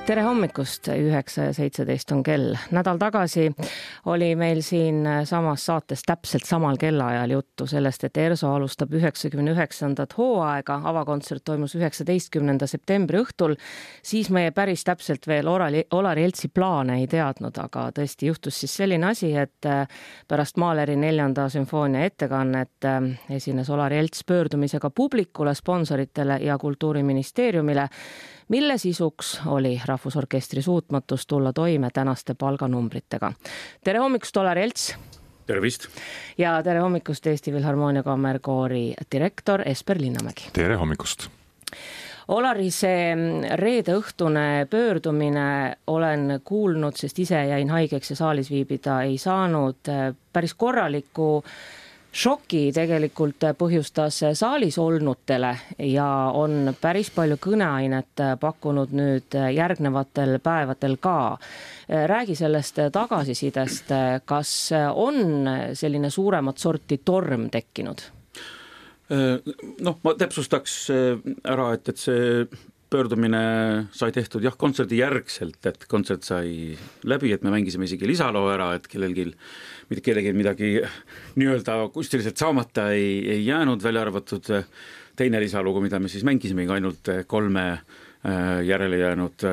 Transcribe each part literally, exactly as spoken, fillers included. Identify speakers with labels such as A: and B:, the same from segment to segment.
A: Tere hommikust, üheksa ja seitseteist on kell. Nädal tagasi oli meil siin samas saates täpselt samal kellaajal juttu sellest, et ERSO alustab üheksakümne üheksandat hooaega. Avakontsert toimus üheksateistkümnenda septembri õhtul. Siis meie päris täpselt veel Olari Eltsi plaane ei teadnud, aga tõesti juhtus siis selline asi, et pärast Mahleri neljanda sümfoonia ettekannet esines Olari Elts pöördumisega publikule, sponsoritele ja Kultuuriministeeriumile, mille sisuks oli Rahvusorkestri suutmatus tulla toime tänaste palganumbritega. Tere hommikust, Olari Elts!
B: Tervist!
A: Ja tere hommikust, Eesti Filharmoonia Kammerkoori direktor Esper Linnamägi.
C: Tere hommikust!
A: Olari, see reede õhtune pöördumine olen kuulnud, sest ise jäin haigeks ja saalis viibida ei saanud. Päris korraliku šoki tegelikult põhjustas saalis olnutele ja on päris palju kõneainet pakkunud nüüd järgnevatel päevadel ka. Räägi sellest tagasisidest, kas on selline suuremat sorti torm tekkinud?
B: Noh, ma täpsustaks ära, et, et see pöördumine sai tehtud jah, kontserdi järgselt, et kontsert sai läbi, et me mängisime isegi lisaloo ära, et kellelgi, kellelgi midagi nii-öelda kunstiliselt saamata ei, ei jäänud, välja arvatud teine lisalugu, mida me siis mängisime ainult kolme järele jäänud,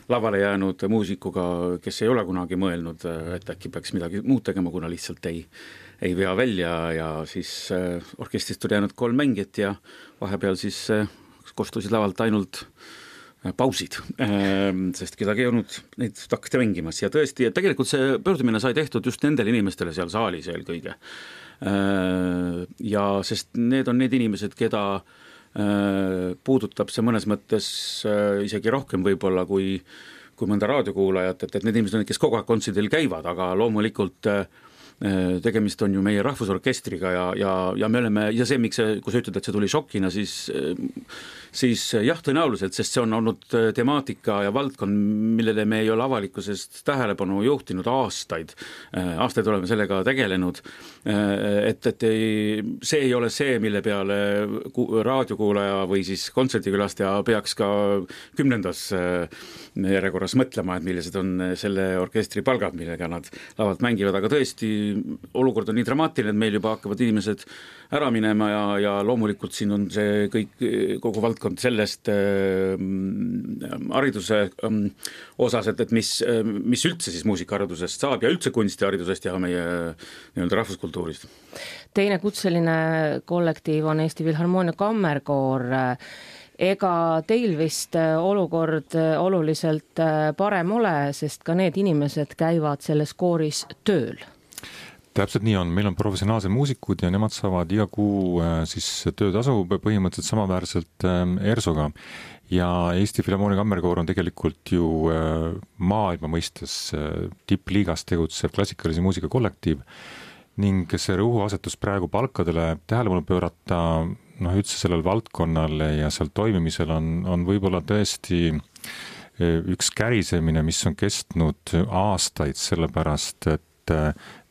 B: lavale jäänud muusikuga, kes ei ole kunagi mõelnud, et äkki peaks midagi muud tegema, kuna lihtsalt ei, ei vea välja ja siis orkestrist oli jäänud kolm mängijat ja vahepeal siis kostusid lavalt ainult pausid, sest kedagi ei olnud neid hakati mängimas ja tõesti, et tegelikult see pöördumine sai tehtud just nendele inimestele seal saalis eelkõige. Ja sest need on need inimesed, keda puudutab see mõnes mõttes isegi rohkem võib-olla kui, kui mõnda raadiokuulajat, et, et need inimesed on, kes kogu aeg kontserdil käivad, aga loomulikult tegemist on ju meie rahvusorkestriga ja, ja, ja me oleme, ja see, miks see, kui sa ütled, et see tuli šokina, siis, siis jah, tõenäoliselt, sest see on olnud temaatika ja valdkond, millele me ei ole avalikkusest tähelepanu juhtinud aastaid. Aastaid oleme sellega tegelenud, et, et ei, see ei ole see, mille peale raadiokuulaja või siis kontserdikülastaja peaks ka kümnendas järjekorras mõtlema, et millised on selle orkestri palgad, millega nad lavalt mängivad, aga tõesti olukord on nii dramaatiline, et meil juba hakkavad inimesed ära minema ja, ja loomulikult siin on see kõik, kogu valdkond sellest äh, hariduse äh, osas, et, et mis, äh, mis üldse siis muusikaharidusest saab ja üldse kunstiharidusest ja meie nii-öelda rahvuskultuurist.
A: Teine kutseline kollektiiv on Eesti Filharmoonia Kammerkoor. Ega teil vist olukord oluliselt parem ole, sest ka need inimesed käivad selles kooris tööl?
C: Täpselt nii on, meil on professionaalsed muusikud ja nemad saavad iga kuu siis töötasu põhimõtteliselt samaväärselt ERSOga ja Eesti Filharmoonia Kammerkoor on tegelikult ju maailma mõistes tippliigas tegutsev klassikalise muusika kollektiiv ning see rõhuasetus praegu palkadele tähelepanu pöörata noh, üldse sellel valdkonnale ja seal toimimisel on, on võib-olla tõesti üks kärisemine, mis on kestnud aastaid, sellepärast et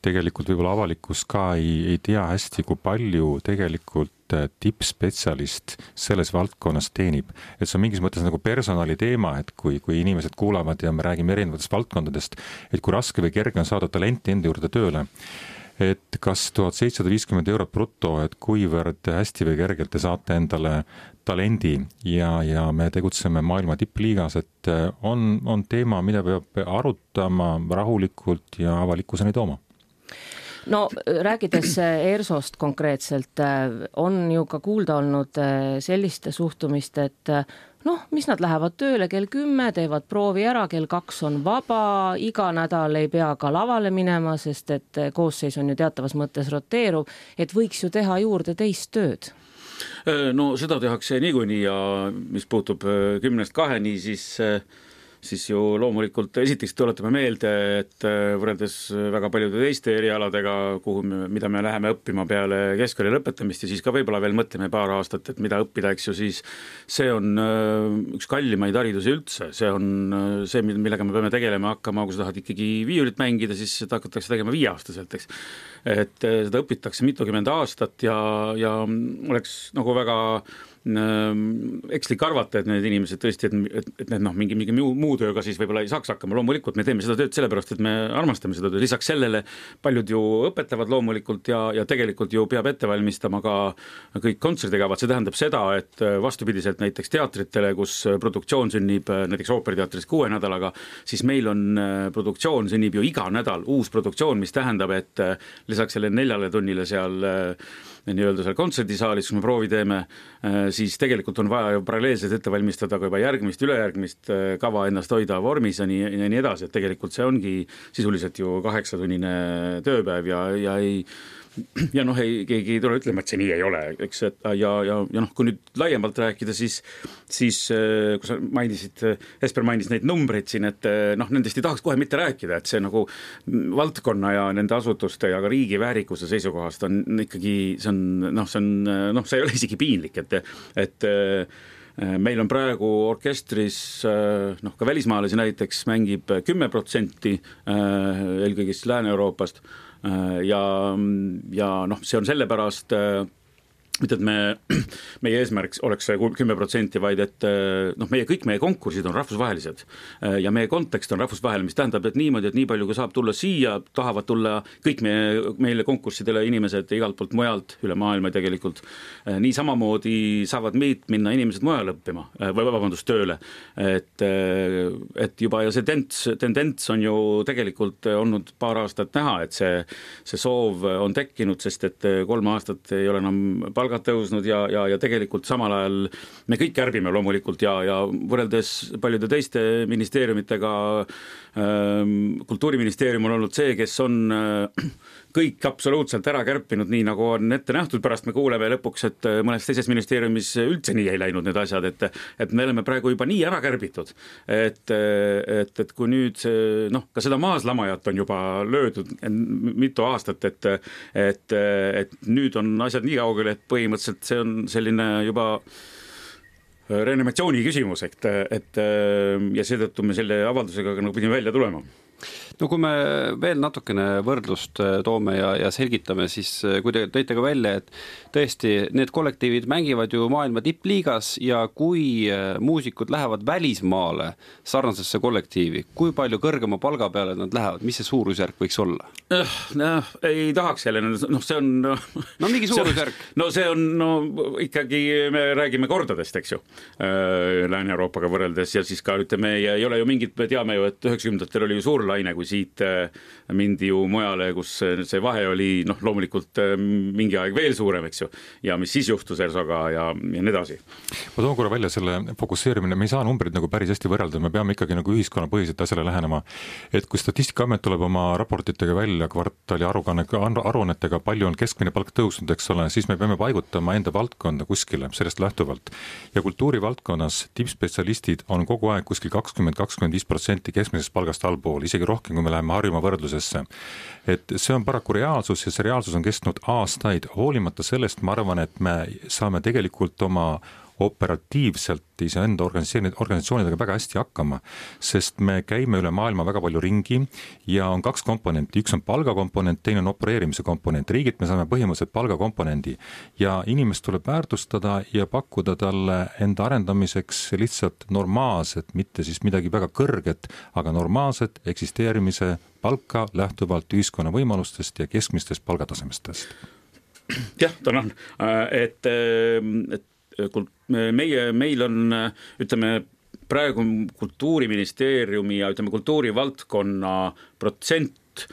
C: tegelikult võib-olla avalikkus ka ei, ei tea hästi, kui palju tegelikult tippspetsialist selles valdkonnas teenib. Et see on mingis mõttes nagu personali teema, et kui, kui inimesed kuulavad ja me räägime erinevatest valdkondadest, et kui raske või kerge on saada talenti enda juurde tööle, et kas tuhat seitsesada viiskümmend eurot bruto, et kuivõrd hästi või kergelt te saate endale talendi ja, ja me tegutseme maailma tippliigas, et on, on teema, mida peab arutama rahulikult ja avalikkuseni tooma.
A: No rääkides ERSOst konkreetselt, on ju ka kuulda olnud selliste suhtumist, et noh, mis nad lähevad tööle kell kümme, teevad proovi ära, kell kaks on vaba, iga nädal ei pea ka lavale minema, sest et koosseis on ju teatavas mõttes roteeruv, et võiks ju teha juurde teist tööd.
B: No seda tehakse niikuinii ja mis puutub kümnest kaheni, siis siis ju loomulikult esiteks tuletame meelde, et võrreldes väga paljude teiste erialadega, kuhu me, mida me läheme õppima peale keskkooli lõpetamist ja siis ka võib-olla veel mõtleme paar aastat, et mida õppida, eks ju, siis see on üks kallimaid haridusi üldse, see on see, millega me peame tegelema hakkama, kui sa tahad ikkagi viiulit mängida, siis seda hakatakse tegema viieaastaselt, eks. Et seda õpitakse mitukümmend aastat ja, ja oleks nagu väga ekslik arvata, et need inimesed tõesti, et, et need noh, mingi, mingi muu, muu tööga siis võib-olla ei saaks hakkama, loomulikult me teeme seda tööd sellepärast, et me armastame seda tööd, lisaks sellele paljud ju õpetavad loomulikult ja, ja tegelikult ju peab ette valmistama ka kõik kontserdikavad, see tähendab seda, et vastupidiselt näiteks teatritele, kus produktsioon sünnib näiteks ooperiteatris kuue nädalaga, siis meil on produktsioon sünnib ju iga nädal uus produktsioon, mis tähendab, et lisaks selle neljale tunnile seal nii-öelda seal kontserdisaalis, kus me proovi teeme, siis tegelikult on vaja ju paralleelselt ette valmistada ka juba järgmist, ülejärgmist kava ennast hoida vormis ja nii, ja nii edasi, et tegelikult see ongi sisuliselt ju kaheksatunnine tööpäev ja, ja ei ja noh, ei, keegi ei tule ütlema, et see nii ei ole, eks, et ja, ja, ja noh, kui nüüd laiemalt rääkida, siis, siis kui sa mainisid, Esper mainis neid numbreid siin, et noh, nendest ei tahaks kohe mitte rääkida, et see nagu valdkonna ja nende asutuste ja ka riigi väärikuse seisukohast on ikkagi, see on, noh, see on, noh, see ei ole isegi piinlik, et, et meil on praegu orkestris, noh, ka välismaalasi näiteks mängib kümme protsenti eelkõige siis Lääne-Euroopast ja, ja noh, see on sellepärast mitte, et me, meie eesmärk oleks kümme protsenti, vaid et noh, meie, kõik meie konkursid on rahvusvahelised ja meie kontekst on rahvusvaheline, mis tähendab, et niimoodi, et nii palju, kui saab tulla siia, tahavad tulla kõik meie, meile konkurssidele inimesed igalt poolt mujalt, üle maailma tegelikult. Nii samamoodi saavad meid minna inimesed mujal õppima, või vabandust, tööle. Et, et juba ja see tendents, tendents on ju tegelikult olnud paar aastat näha, et see, see soov on tekkinud, sest et kolm aastat ei ole enam palga tõusnud ja, ja, ja tegelikult samal ajal me kõik kärbime loomulikult ja, ja võrreldes paljude teiste ministeeriumitega ähm, kultuuriministeerium on olnud see, kes on äh, kõik absoluutselt ära kärpinud nii, nagu on ette nähtud, pärast me kuuleme lõpuks, et mõnes teises ministeeriumis üldse nii ei läinud need asjad, et, et me oleme praegu juba nii ära kärbitud, et, et, et kui nüüd see, noh, ka seda maaslamajat on juba löödud mitu aastat, et, et, et nüüd on asjad nii kaugel, et põhimõtteliselt see on selline juba reanimatsiooni küsimus, et, et ja seetõttu me selle avaldusega nagu pidime välja tulema.
D: No kui me veel natukene võrdlust toome ja, ja selgitame, siis kui te tõite ka välja, et tõesti need kollektiivid mängivad ju maailma tippliigas ja kui muusikud lähevad välismaale sarnasesse kollektiivi, kui palju kõrgema palga peale nad lähevad, mis see suurusjärk võiks olla?
B: No, ei tahaks jälle, noh see on no,
D: no mingi suurusjärk.
B: No see on, no ikkagi me räägime kordadest, eks ju, Lääne-Euroopaga võrreldes ja siis ka ütleme, ei ole ju mingit, me teame ju, et üheksakümnendatel oli ju suur laine, kui siit mindi ju mujale, kus see vahe oli noh, loomulikult mingi aeg veel suurem, eks ju, ja mis siis juhtus Ersoga ja, ja nii edasi.
C: Ma toon korra välja selle fokusseerimine, me ei saa numbrid nagu päris hästi võrrelda, me peame ikkagi nagu ühiskonnapõhiselt asjale lähenema, et kui Statistikaamet tuleb oma raportitega välja kvartali aruannetega, palju on keskmine palk tõusnud, eks ole, siis me peame paigutama enda valdkonda kuskile sellest lähtuvalt. Ja kultuurivaldkonnas tippspetsialistid on kogu aeg kuskil kakskümmend kuni kakskümmend viis protsenti keskmisest palgast allpool, isegi rohkem, kui me läheme Harjumaa võrdlusesse. Et see on paraku reaalsus ja see reaalsus on kestnud aastaid. Hoolimata sellest, ma arvan, et me saame tegelikult oma operatiivselt iseenda organisatsioonidega väga hästi hakkama, sest me käime üle maailma väga palju ringi ja on kaks komponenti. Üks on palgakomponent, teine on opereerimise komponent. Riigilt me saame põhimõtteliselt palgakomponendi ja inimest tuleb väärtustada ja pakkuda talle enda arendamiseks lihtsalt normaalset, mitte siis midagi väga kõrget, aga normaalset eksisteerimise palka lähtuvalt ühiskonna võimalustest ja keskmistest palgatasemestest.
B: Jah, tänan, et, et meie, meil on, ütleme, praegu kultuuriministeeriumi ja ütleme, kultuurivaldkonna protsent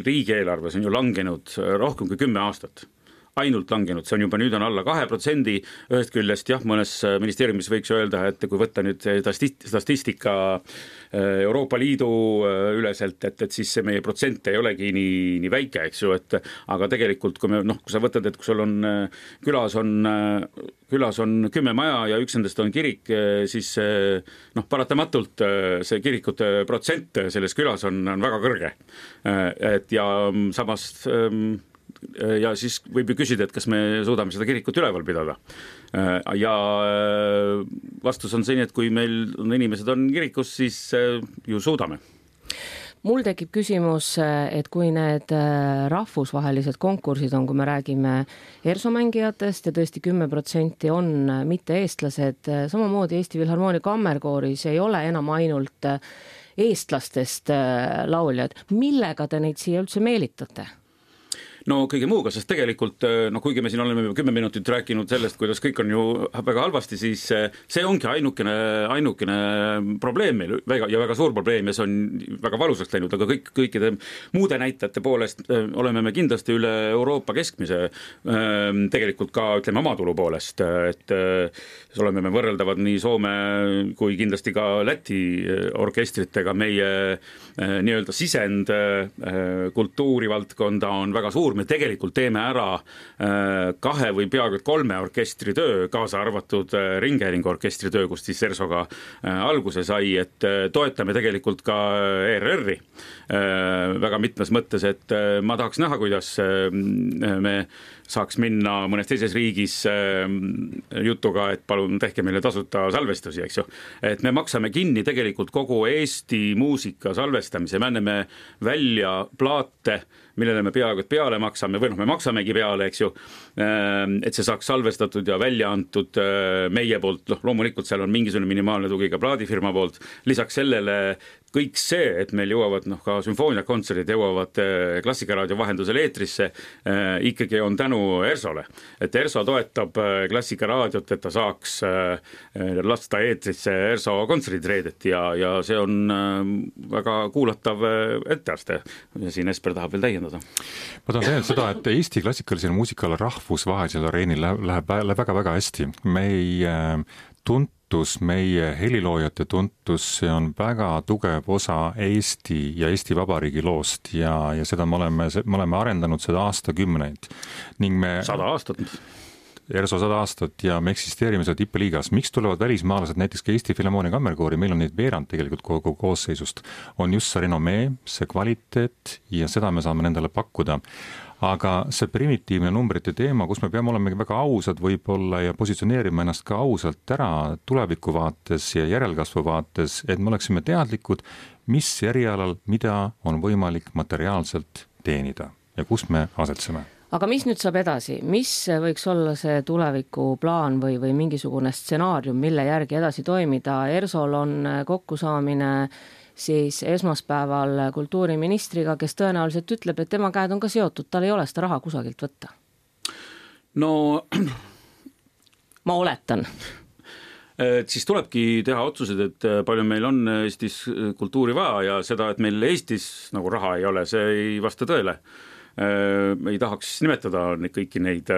B: riigieelarves on ju langenud rohkem kui kümme aastat. Ainult langenud, see on juba nüüd on alla kahe protsendi, ühest küljest jah, mõnes ministeeriumis võiks öelda, et kui võtta nüüd statistika Euroopa Liidu üleselt, et, et siis see meie protsent ei olegi nii, nii väike, eks ju, et aga tegelikult, kui me, noh, kui sa võtad, et kui sul on külas on, külas on kümme maja ja üks nendest on kirik, siis noh, paratamatult see kirikute protsent selles külas on, on väga kõrge. Et ja samas ja siis võib ju küsida, et kas me suudame seda kirikut üleval pidada. Ja vastus on selline, et kui meil on inimesed on kirikus, siis ju suudame.
A: mul tekib küsimus, et kui need rahvusvahelised konkursid on, kui me räägime ERSO mängijatest ja tõesti kümme protsenti on mitte eestlased, samamoodi Eesti Filharmoonia Kammerkooris ei ole enam ainult eestlastest lauljad. Millega te neid siia üldse meelitate?
B: No kõige muuga, sest tegelikult, no kuigi me siin oleme juba kümme minutit rääkinud sellest, kuidas kõik on ju väga halvasti, siis see ongi ainukene, ainukene probleem meil väga, ja väga suur probleem ja see on väga valusaks läinud, aga kõik, kõikide muude näitajate poolest oleme me kindlasti üle Euroopa keskmise tegelikult ka, ütleme, omatulu poolest, et oleme me võrreldavad nii Soome kui kindlasti ka Läti orkestritega. Meie nii-öelda sisend kultuurivaldkonda on väga suur. Me tegelikult teeme ära kahe või peaaegu kolme orkestri töö, kaasa arvatud Ringhäälingu orkestri töö, kus siis ERSOga alguse sai, et toetame tegelikult ka E R R-i väga mitmes mõttes, et ma tahaks näha, kuidas me saaks minna mõnes teises riigis jutuga, et palun tehke meile tasuta salvestusi, eks ju. Et me maksame kinni tegelikult kogu Eesti muusika salvestamise, me anname välja plaate, millele me peaaegu et peale maksame, või noh, me maksamegi peale, eks ju, et see saaks salvestatud ja välja antud meie poolt, noh, loomulikult seal on mingisugune minimaalne tugi ka plaadifirma poolt, lisaks sellele kõik see, et meil jõuavad noh, ka sümfooniakontserdid jõuavad Klassikaraadio vahendusel eetrisse, ikkagi on tänu ERSOle. Et ERSO toetab Klassikaraadiot, et ta saaks lasta eetrisse ERSO kontserdid reedeti ja, ja see on väga kuulatav etteaste. Siin Esper tahab veel täiendada.
C: Ma tahan teada seda, et Eesti klassikalisel muusikal rahvusvahelisel areenil läheb, läheb väga-väga hästi. Me ei tunt meie heliloojate tuntus, see on väga tugev osa Eesti ja Eesti Vabariigi loost ja, ja seda me oleme, me oleme arendanud seda aastakümneid. Ning me
B: sada aastat.
C: ERSO sada aastat ja me eksisteerime seda tippeliigas. Miks tulevad välismaalased, näiteks ka Eesti Filharmoonia Kammerkoori, meil on neid veerand tegelikult kogu koosseisust, on just see renomee, see kvaliteet ja seda me saame nendele pakkuda. Aga see primitiivne numbrite teema, kus me peame olema väga ausad võib-olla ja positsioneerima ennast ka ausalt ära tuleviku vaates ja järelkasvu vaates, et me oleksime teadlikud, mis erialal, mida on võimalik materiaalselt teenida ja kus me asetseme.
A: Aga mis nüüd saab edasi? Mis võiks olla see tulevikuplaan või, või mingisugune stsenaarium, mille järgi edasi toimida? ERSOl on kokkusaamine siis esmaspäeval kultuuriministriga, kes tõenäoliselt ütleb, et tema käed on ka seotud, tal ei ole seda raha kusagilt võtta.
B: No
A: ma oletan.
B: Et siis tulebki teha otsused, et palju meil on Eestis kultuuri vaja ja seda, et meil Eestis nagu raha ei ole, see ei vasta tõele. Ei tahaks nimetada kõiki neid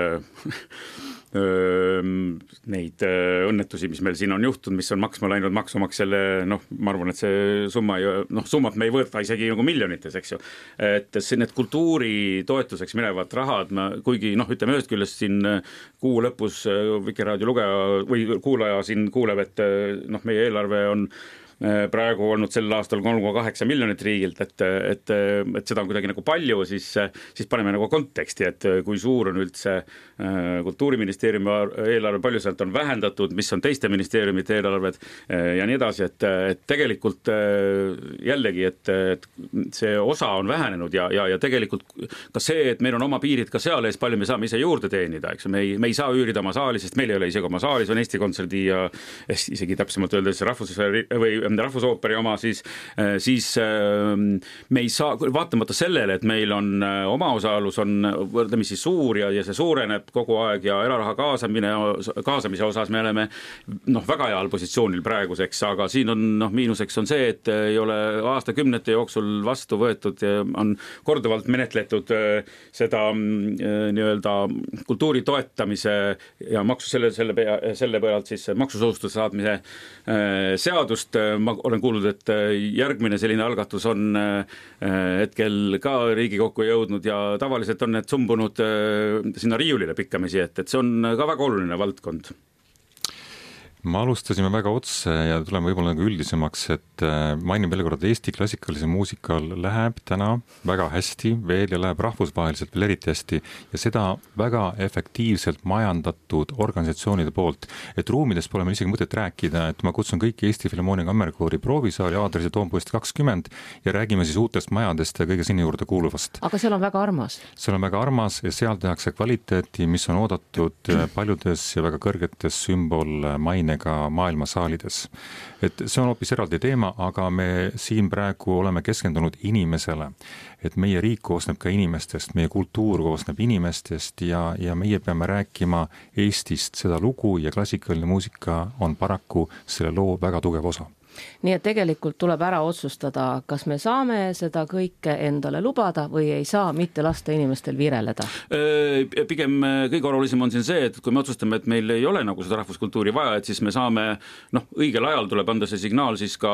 B: neid õnnetusi, mis meil siin on juhtunud, mis on maksma läinud maksumaksjale, noh, ma arvan, et see summa, noh, summat me ei võta isegi nagu miljonites, eks ju. Et need kultuuri toetuseks minevad rahad, ma, kuigi, noh, ütleme ühest küljest siin kuu lõpus Vikerraadio lugeja või kuulaja siin kuuleb, et noh, meie eelarve on praegu olnud sel aastal kolm koma kaheksa miljonit riigilt, et, et, et seda on kuidagi nagu palju, siis, siis paneme nagu konteksti, et kui suur on üldse kultuuriministeeriumi eelarve, palju sealt on vähendatud, mis on teiste ministeeriumite eelarved ja nii edasi, et, et tegelikult jällegi, et, et see osa on vähenenud ja, ja, ja tegelikult ka see, et meil on oma piirid ka seal ees, palju me saame ise juurde teenida, eks me ei, me ei saa üürida oma saali, sest meil ei ole isegi oma saalis, on Eesti Kontserdi ja isegi täpsemalt öeldes rahvus- või rahvusooperi oma, siis, siis me ei saa, vaatamata sellele, et meil on omaosalus on võrdlemisi suur ja, ja see suureneb kogu aeg ja eraraha kaasamine, kaasamise osas me oleme noh, väga heal positsioonil praeguseks, aga siin on noh, miinuseks on see, et ei ole aastakümnete jooksul vastu võetud ja on korduvalt menetletud seda nii-öelda kultuuri toetamise ja maksu selle, selle, selle pealt siis maksusoodustuse saadmise seadust. Ma olen kuulnud, et järgmine selline algatus on hetkel ka Riigikokku jõudnud ja tavaliselt on need sumbunud sinna riiulile pikkamisi, et, et see on ka väga oluline valdkond.
C: me alustasime väga otse ja tuleme võib-olla nagu üldisemaks, et mainin veel kord, Eesti klassikalise muusikal läheb täna väga hästi veel ja läheb rahvusvaheliselt veel eriti hästi ja seda väga efektiivselt majandatud organisatsioonide poolt. Et ruumidest pole meil isegi mõtet rääkida, et ma kutsun kõiki Eesti Filharmoonia Kammerkoori proovisaali aadressi Toompoist kakskümmend ja räägime siis uutest majadest ja kõige sinna juurde kuuluvast.
A: Aga seal on väga armas.
C: Seal on väga armas ja seal tehakse kvaliteeti, mis on oodatud paljudes ja väga kõrgetes sümbol maine ka maailmasaalides. Et see on hoopis eraldi teema, aga me siin praegu oleme keskendunud inimesele. Et meie riik koosneb ka inimestest, meie kultuur koosneb inimestest ja, ja meie peame rääkima Eestist seda lugu ja klassikaline muusika on paraku selle loo väga tugev osa.
A: Nii et tegelikult tuleb ära otsustada, kas me saame seda kõike endale lubada või ei saa, mitte lasta inimestel vireleda.
B: Pigem kõige olulisem on siin see, et kui me otsustame, et meil ei ole nagu seda rahvuskultuuri vaja, et siis me saame, noh, õigel ajal tuleb anda see signaal siis ka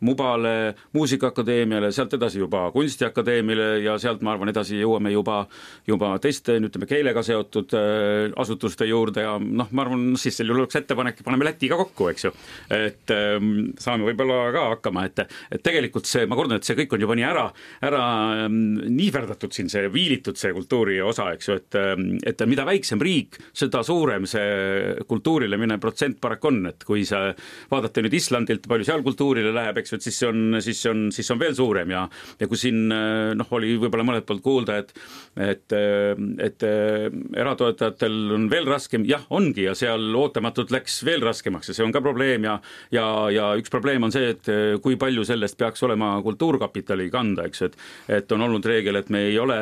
B: Mubale, Muusikaakadeemiale, sealt edasi juba Kunstiakadeemiale ja sealt ma arvan edasi jõuame juba, juba teiste, ütleme, keelega seotud asutuste juurde ja noh, ma arvan, siis seal oleks ettepanek, paneme Lätiga kokku, eks ju, et saame võib-olla ka hakkama, et, et tegelikult see, ma kordan, et see kõik on juba nii ära, ära niiverdatud siin, see viilitud see kultuuri osa, eks ju, et, et mida väiksem riik, seda suurem see kultuurile minev protsent parak on, et kui sa vaadate nüüd Islandilt, palju seal kultuurile läheb, eks ju, et siis see on, siis see on, siis on veel suurem ja, ja kui siin noh, oli võib-olla mõned poolt kuulda, et, et, et eratoetajatel on veel raskem, jah, ongi ja seal ootamatult läks veel raskemaks ja see on ka probleem ja, ja, ja üks probleem on see, et kui palju sellest peaks olema kultuurkapitali kanda, eks, et, et on olnud reegel, et me ei ole,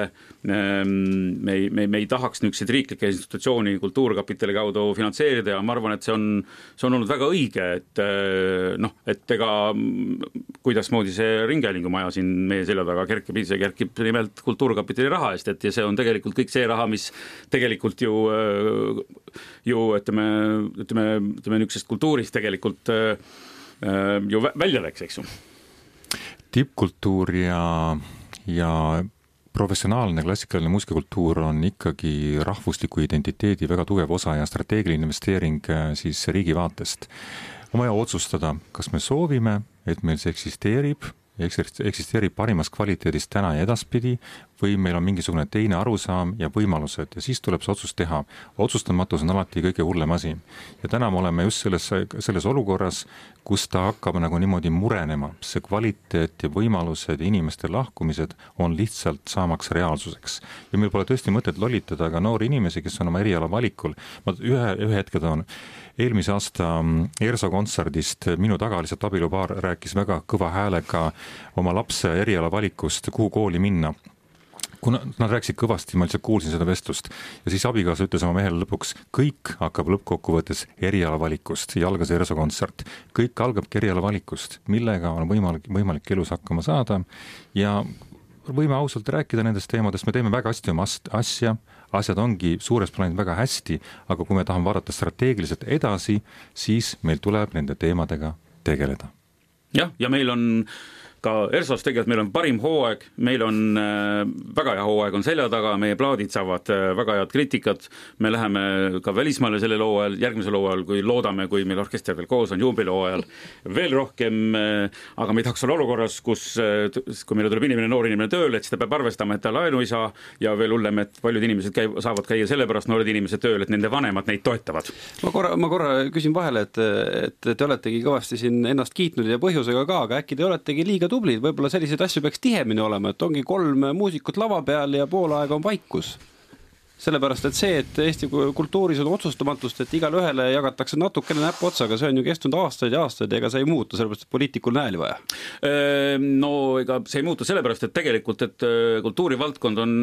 B: me ei, me, me ei tahaks niisuguseid riiklikke institutsiooni kultuurkapitali kaudu finantseerida ja ma arvan, et see on, see on olnud väga õige, et noh, et ega kuidasmoodi see ringhäälingumaja siin meie selja taga kerkib, see kerkib nimelt kultuurkapitali raha eest, et ja see on tegelikult kõik see raha, mis tegelikult ju, ju ütleme, ütleme, ütleme niisugusest kultuurist tegelikult ju välja läks, eks ju.
C: Tippkultuur ja, ja professionaalne klassikaline muusikakultuur on ikkagi rahvusliku identiteedi väga tugev osa ja strateegiline investeering siis riigi vaatest. On vaja otsustada, kas me soovime, et meil see eksisteerib, eksisteerib parimas kvaliteedis täna ja edaspidi või meil on mingisugune teine arusaam ja võimalused ja siis tuleb see otsus teha. Otsustamatus on alati kõige hullem asi. Ja täna me oleme just selles, selles olukorras, kus ta hakkab nagu niimoodi murenema. See kvaliteet ja võimalused ja inimeste lahkumised on lihtsalt saamaks reaalsuseks. Ja meil pole tõesti mõtet lollitada ka noori inimesi, kes on oma eriala valikul. Ma ühe, ühe hetke toon. Eelmise aasta ERSO kontserdist minu taga lihtsalt abilupaar rääkis väga kõva häälega oma lapse eriala valikust, kuhu kooli minna. Kuna nad rääkisid kõvasti, ma lihtsalt kuulsin seda vestlust ja siis abikaasa ütles oma mehele lõpuks, kõik hakkab lõppkokkuvõttes eriala valikust ja algas ERSO kontsert. Kõik algab eriala valikust, millega on võimalik, võimalik elus hakkama saada ja võime ausalt rääkida nendest teemadest, me teeme väga hästi oma asja, asjad ongi suures plaanid väga hästi, aga kui me tahame vaadata strateegiliselt edasi, siis meil tuleb nende teemadega tegeleda.
B: Jah, ja meil on ka ERSOs tegelikult meil on parim hooaeg, meil on äh, väga hea hooaeg on selja taga, meie plaadid saavad äh, väga head kriitikat, me läheme ka välismaale sellel hooajal, järgmisel hooajal, kui loodame, kui meil orkester veel koos on juubelihooajal veel rohkem, äh, aga me ei tahaks olla olukorras, kus äh, kui meile tuleb inimene, noor inimene tööle, et siis ta peab arvestama, et ta laenu ei saa ja veel hullem, et paljud inimesed käi, saavad käia sellepärast noored inimesed tööle, et nende vanemad neid toetavad.
D: Ma korra, ma korra küsin vahele, et, et te oletegi kõvasti siin ennast kiitnud ja põhjusega ka, aga äkki te oletegi liiga tublid, võib-olla selliseid asju peaks tihemini olema, et ongi kolm muusikut lava peal ja pool aega on vaikus. Sellepärast, et see, et Eesti kultuuris on otsustamatust, et igale ühele jagatakse natukene näpu otsaga, see on ju kestunud aastaid ja aastaid, ega see ei muutu, sellepärast, et poliitikul nääli vaja.
B: No ega see ei muutu sellepärast, et tegelikult, et kultuurivaldkond on,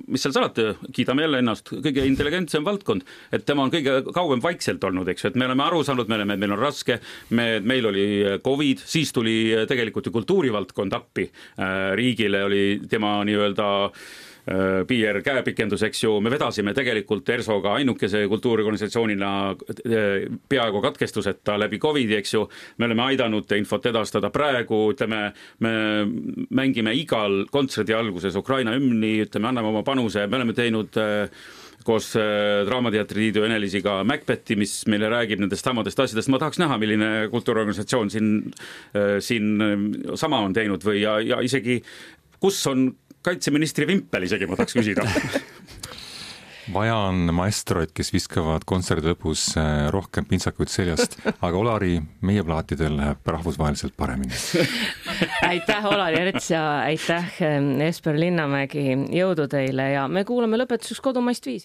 B: mis seal salati, kiidame jälle ennast, kõige intelligentsem valdkond, et tema on kõige kauem vaikselt olnud, eks, et me oleme aru saanud, me oleme, meil on raske, me, meil oli COVID, siis tuli tegelikult ju kultuurivaldkond appi, riigile oli tema nii-öelda P R käepikendus, eks ju, me vedasime tegelikult ERSOga ainukese kultuuriorganisatsioonina peaaegu katkestuseta läbi Covidi, eks ju, me oleme aidanud infot edastada praegu, ütleme, me mängime igal kontserdi alguses Ukraina hümni, ütleme, anname oma panuse, me oleme teinud koos Draamateatri Liidu Enelisiga Macbethi, mis meile räägib nendest samadest asjadest. Ma tahaks näha, milline kultuuriorganisatsioon siin, siin sama on teinud või ja, ja isegi kus on kaitseministri vimpel, isegi ma tahaks küsida.
C: Vaja on maestroid, kes viskavad kontserdi lõpus rohkem pintsakuid seljast, aga Olari, meie plaatidel läheb rahvusvaheliselt paremini.
A: Aitäh, Olari Erts ja aitäh, Esper Linnamägi, jõudu teile ja me kuulame lõpetuseks Kodumaist viisi.